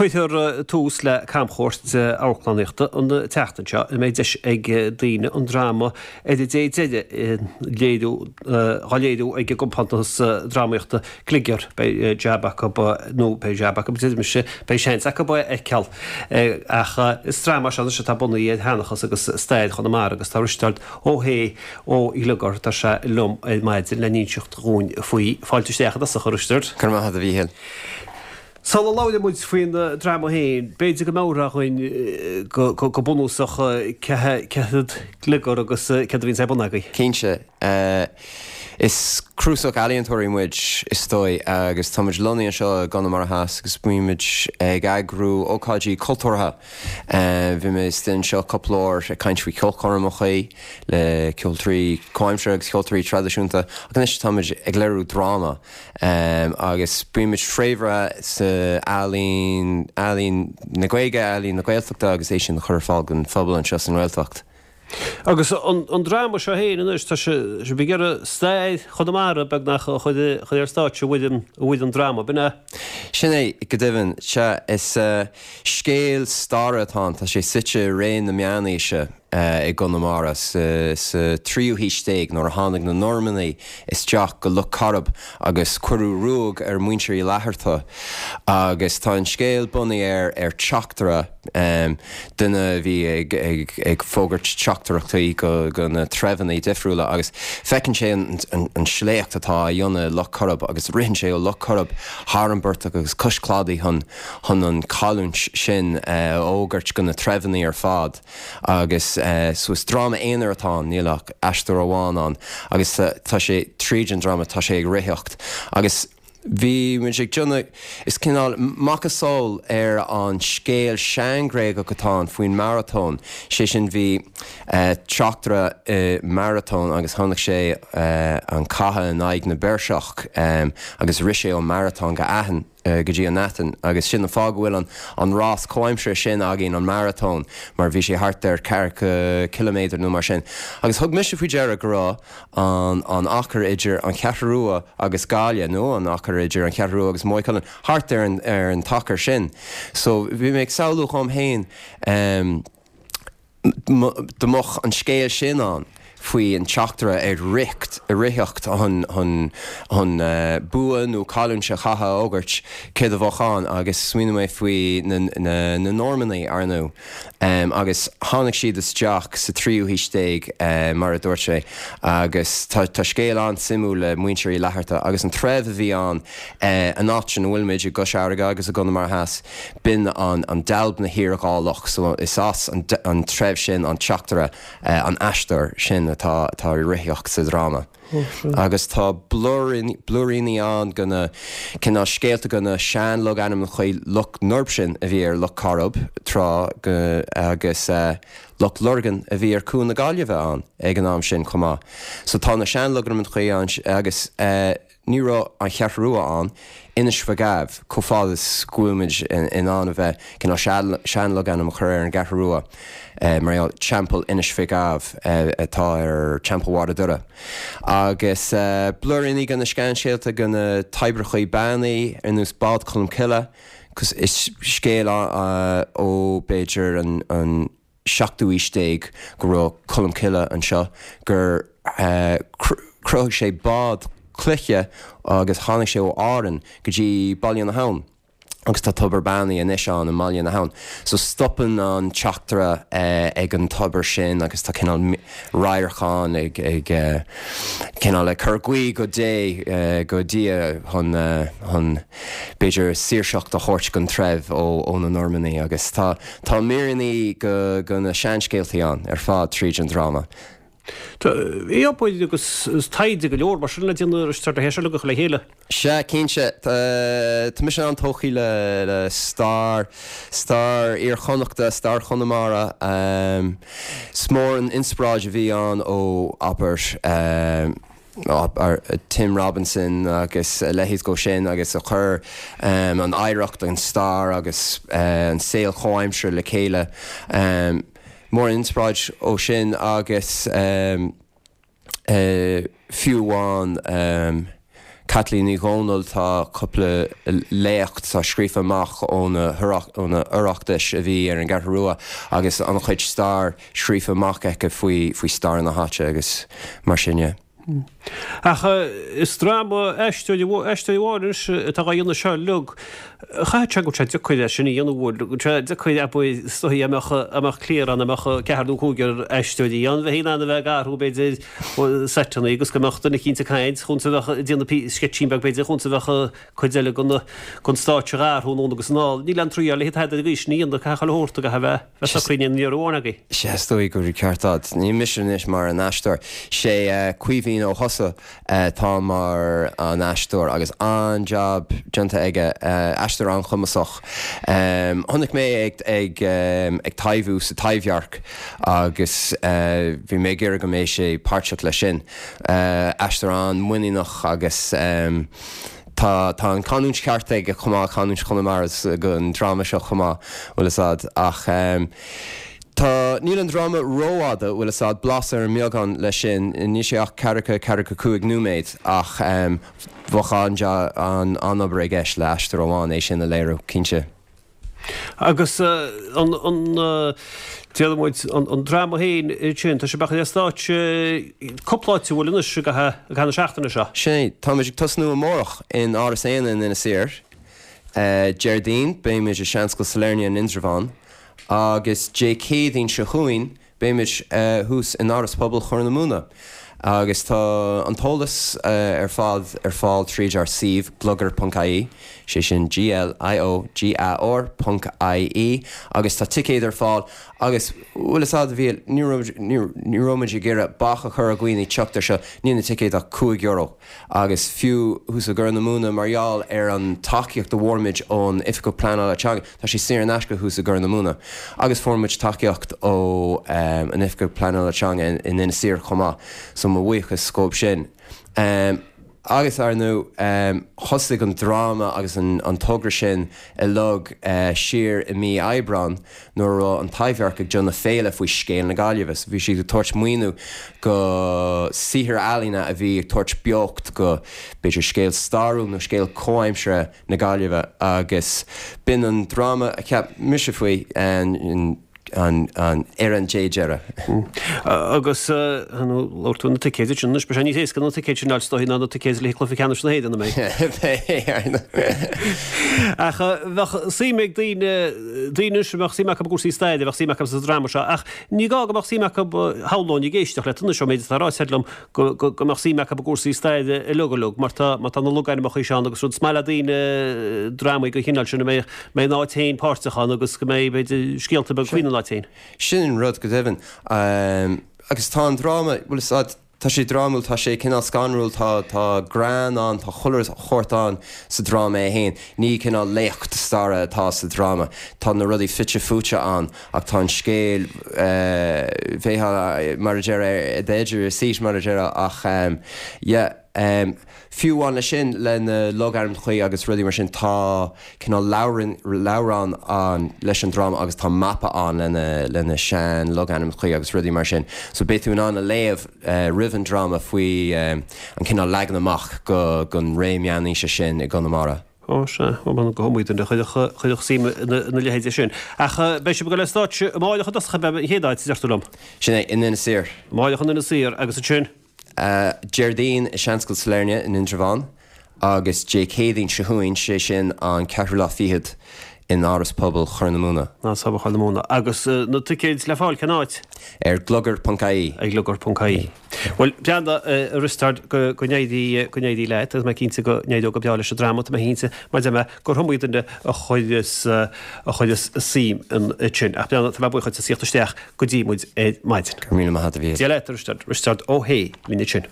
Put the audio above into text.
Cuirfear tús le camchuairt amharclannaíochta an tseachtain seo ina mbeidh deis ag daoine an dráma Ar an Dé Deiridh léiriú á léiriú ag an gcompántas drámaíochta Gliogar. Beidh jab acu, nó beidh jab acu, deir mise, beidh seans acu é a fheiceáil. Ach is dráma é seo anois atá bunaithe ar sheanchas agus stair Chonamara agus tá Risteárd Ó hAodha ó Ghliogar, tá sé liom ar maidin le n-inseacht dhúinn faoi. Fáilte isteach i dtosach, a Risteaird. Go raibh maith agat, a Mhíchíl. Sula labhraíonn muid faoin dráma féin, b'fhéidir go mbeadh againn go bunúsach cé hiad Gliogar agus céard a bhíonns ar bun agaibh. Cinnte. Is cnuasach ealaíontóirí muid, is dóigh, agus tá muid lonnaithe anseo i gConamara Theas agus bímid ag eagrú ócáidí cultúrtha. Bhí mé istigh anseo cúpla uair ag caint faoi cheolchoirmeacha le ceoltóirí comhaimseartha agus ceoltóirí traidisiúnta ach anois táimid ag léiriú dráma. Agus bímid fréamhaithe sa ealaín, ealaín na Gaeilge, ealaín na Gaeltachta agus é sin a chur ar fáil don phobal anseo sa nGaeltacht. Agus an dráma seo féin anois, tá sibh ag iarraidh stair Chonamara beagnach a chur ar stáitse i bhfoirm dráma, b'in é? Sin é, go deimhin. Sea, is scéal staire atá ann. Tá sé suite i ré na meánaoise. i gConamara sa tríú haois déag nuair a tháinig na Normannaigh isteach go Loch Coirib agus cuireadh ruaig ar mhuintir Uí Fhlatharta agus tá an scéal bunaithe ar ar teachtaire, duine a bhí ag ag ag fógairt teachtaireachtaí go go na treibheanna difriúla agus feiceann sé an an sléacht atá á dhéanamh i Loch Coirib agus ritheann sé ó Loch Coirib thar an bportach agus cois cladaigh chun chun an chailliúint sin a fhógairt go na treibheanna ar fad. Agus so is dráma aonair atá ann, níl ach aisteoir amháin ann agus tá sé tríd an dráma, tá sé ag ritheacht. Agus bhí muid ag déanamh, is cineál macasamhail ar an scéal sean-Ghréagach atá ann faoin maratón, sé sin bhí teachtaire i maratón agus chonaic sé an cath in aghaidh na bPeirseach agus rith sé ó Maratón go Aithin. go dtí an Aithin agus sin an fáth go bhfuil an an rás comhaimseartha sin againn, an maratón, mar bhí sé thart ar ceathracha ciliméadar nó mar sin. Agus thug mise faoi deara go raibh an an achar idir an Cheathrú Rua agus Gaillimh, nó an achar idir an Cheathrú Rua agus Maigh Cuilinn, thart ar an ar an t-achar sin. So bhí mé ag samhlú dhom féin, Dá mbeadh an scéal sin ann faoi an teachtaire ag ritheacht, ag ritheacht chun, chun, chun bua nó cailliúint an chatha a fhógairt, céard a bheadh ann? Agus smaoinigh mé faoi na, na, na Normannaigh, ar ndóigh. Agus tháinig siad isteach sa tríú haois déag, mar a dúirt mé, agus tá, tá scéal an-suimiúil le muintir Uí Fhlatharta agus an treibh a bhí ann, an áit ina bhfuil muid, i gCois Fharraige agus i gConamara Theas. B'in an Dealbhna Thír Dhá Loch, so is as an treibh sin an teachtaire, an aisteoir sin atá ag ritheacht sa dráma. Agus tá blúiríní ann de na cineál scéalta de na sean-logainmneacha, Loch Norbsin a bhí ar Loch Coirib tráth agus Loch Lurgan a bhí ar Cuan na Gaillimhe ann ag an am sin chomh maith. So tá na sean-logainmneacha ann agus. Ní raibh an Cheathrú Rua ann, Inis Mhic Ádhaimh, chomh fada is go bhfuilimid in ann a bheith cineál sean-logainm a chur ar an gCeathrú Rua, mar gheall, Teampall Inis Mhic Ádhaimh atá ar Teampall Bharr a' Doire. Agus blúiríní de na seanscéalta de na toibreacha beannaithe, ar nós Bád Cholm Cille, is scéal ó b'fhéidir an. seachtú aois déag go raibh Colm Cille anseo, gur chruthaigh sé bád cloiche agus tháinig sé ó Árainn go dtí Baile na hAbhann agus tá tobar beannaithe anois ann i mBaile na hAbhann. So stopann an teachtaire ag an tobar sin agus tá cineál radharc ann ag ag cineál ag cur guí go Dé, go Dia chun chun b'fhéidir saoirseacht a thabhairt don treibh ó na Normannaigh agus tá tá míreanna de na seanscéaltaí ann ar fad tríd an dráma. Tá obair agus taighde go leor mar sin le déanamh ar le hé seo a chur le chéile. Sea, cinnte. Tá mise an-tógtha le stair, stair Iar-Chonnachta, stair Chonamara. Is mór an inspioráid a bhí ann ó, abair, Tim Robinson agus a leithéid dhó sin agus a chuir an oidhreacht, an stair agus an saol comhaimseartha le chéile. Mór an inspioráid ó sin agus fiú amháin. Caitlín Ní Dhomhnaill, tá cúpla léacht atá scríofa amach ó na hOireachtais a bhí ar an gCeathrú Rua agus an-chuid stair scríofa amach aici faoi stair na háite agus mar sin de. Ach is dráma aisteoirí amháin anois atá á dhéanamh seo uilig. Chaithfeadh sé go bhfuil sé deacair é sin a dhéanamh, bhfuil, go bhfuil sé deacair abair is dóigh dá mbeadh, dá mbeadh cliar ann, dá mbeadh ceathrar nó cúigear aisteoirí ann, bheifí in ann a bheith ag athrú b'fhéidir seiteanna agus go mbeadh duine eicínt ag caint chúns a bheadh ag déanamh sceitsín beag b'fhéidir chúns a bheadh cuid eile den stáitse ag athrú anonn agus anall. Níl aon triail le tada ar an gcaoi sin a dhéanamh, caithfidh chuile shórt, caithfidh a bheith. Bheith socraithe ní raibh amháin agaibh. Sea, is dóigh go bhfuil ceart a'd. Ní mise anois mar an aisteoir. Sé Caoimhín Ó hEosa atá mar an aisteoir agus an-jab déanta aige. Aisteoir an-chumasach. Chonaic mé é ag ag taibhiú sa Taibhdhearc agus bhí mé ag iarraidh go mbeidh sé páirteach leis sin. Aisteoir an-mhuiníneach agus. Tá, tá an canúint cheart aige chomh maith, canúint Chonamara don dráma seo chomh maith, bhfuil fhios a'd. Ach tá, níl an dráma rófhada, bhfuil fhios a'd, blas ar an mbeagán leis sin, níl sé ach ceathracha, ceathracha cúig nóiméad ach bheadh an, an-obair i gceist le aisteoir amháin é sin a léiriú, cinnte. Agus an, an, déarfaidh muid, an dráma féin sin, tá sé beagán ar stáitse cúpla áit a bhfuil anois i gcaitheamh na seachtaine seo. Sin é. Táimid ag tosnú amárach in Áras Éanna in Inis Oírr. Déardaoin, beimid i Seanscoil Sailearna in Indreabhán agus Dé Céadaoin seo chugainn, Beimid thuas in Áras Pobail Chorr na Móna agus tá an t-eolas ar fad ar fáil tríd ár suíomh gliogar.ie, sé sin G-L-I-O-G-A-R ponc I-E, agus tá ticéid ar fáil agus bhfuil fhios a'd a Mhíchíl, ní raibh, ní raibh muid ag iarraidh bac a chur ar dhaoine teacht ar seo, níl na ticéid ach €5. Agus fiú thuas i gCorr na Móna, mar gheall ar an tacaíocht a bhfuair muid ón Oifigeach Pleanála Teanga, tá sé saor in aisce thuas i gCorr na Móna. Agus fuair muid tacaíocht ó an Oifigeach Pleanála Teanga in Inis Oírr chomh maith, so mo bhuíochas dhóibh sin. Agus, ar ndóigh, thosaigh an dráma agus an togra sin uilig siar i mí Aibreán, nuair a raibh an Taibhdhearc ag déanamh féile faoi scéal na Gaillimhe. So bhí siad ag tabhairt maoiniú go saothair ealaíne a bhí ag tabhairt beocht go, b'fhéidir, scéal stairiúil nó scéal comhaimseartha na Gaillimhe agus b'in an dráma a cheap mise faoi an ar an dé deiridh. Agus labhair tú na ticéid ansin anois, beidh sé níos éasca na ticéid sin a fháil is dóigh ná na ticéid le cluiche ceannais na hÉireann, an mbeidh? Beidh, ar ndóigh. Ach bheadh suim ag daoine, daoine anois a mbeadh suim acu i gcúrsaí staire, bheadh suim acu sa dráma seo, ach ní gá go mbeadh suim acu, shamhlóinn ag éisteacht leat anois ón méid atá ráite agat liom, go mbeadh suim acu i gcúrsaí staire uilig uilig, mar tá, má tá na logainmneacha seo ann agus rud, is maith le daoine drámaí den chineál sin a mbeidh, mbeidh an áit féin páirteach ann agus go mbeidh, b'fhéidir, scéalta beaga faoin áit féin. Sin an rud, go deimhin. Agus tá an dráma, bhuel, is ea, tá sé drámúil, tá sé cineál scanrúil, tá, tá greann ann, tá chuile shórt ann sa dráma é féin. Ní cineál léacht staire atá sa dráma. Tá na rudaí fite fuaite ann. Ach tá an scéal, bheifeá, mar a déarfá, at the edge of your seat, mar a déarfá, ach yeah, fiú amháin leis sin, le na logainmneacha agus rudaí mar sin, tá cineál leabhrán, leabhrán ann leis an dráma agus tá mapa ann le na, le na sean logainmneacha agus rudaí mar sin. So beidh tú in ann a léamh roimh an dráma faoi an cineál leagan amach go, gon ré meánaoise sin i gConamara. Ó, sea, ó, go hiomaí duine a chuirfeadh suim ina leithéide sin. Ach beidh sibh ag dul ar stáitse amáireach i dtosach, ab ea, an chéad áit, a deir tú liom? Sin é, in Inis Oírr. Amáireach in Inis Oírr, agus ansin? Déardaoin i Seanscoil Sailearna in Indreabhán, agus Dé Céadaoin seo chugainn, sé sin an ceathrú lá fichead, in Áras Pobail Chorr na Móna. Áras Pobail Chorr na Móna. Agus na ticéid le fáil cén áit? Ar gliogar.ie. Ar gliogar.ie. Bhuel, breathnaigh, a Risteaird, go n-éirí, go n-éirí leat agus mé cinnte go n-éireoidh go breá leis an dráma, tá mé cinnte, mar a deir mé, gur iomaí duine a chuireas, a chuireas suim ansin. Ach breathnaigh, tá mé buíoch duit as theacht isteach go dtí muid ar maidin. Go raibh míle maith agat, a Mhíchíl. Dia leat, a Risteaird. Risteard Ó hAodha linn ansin.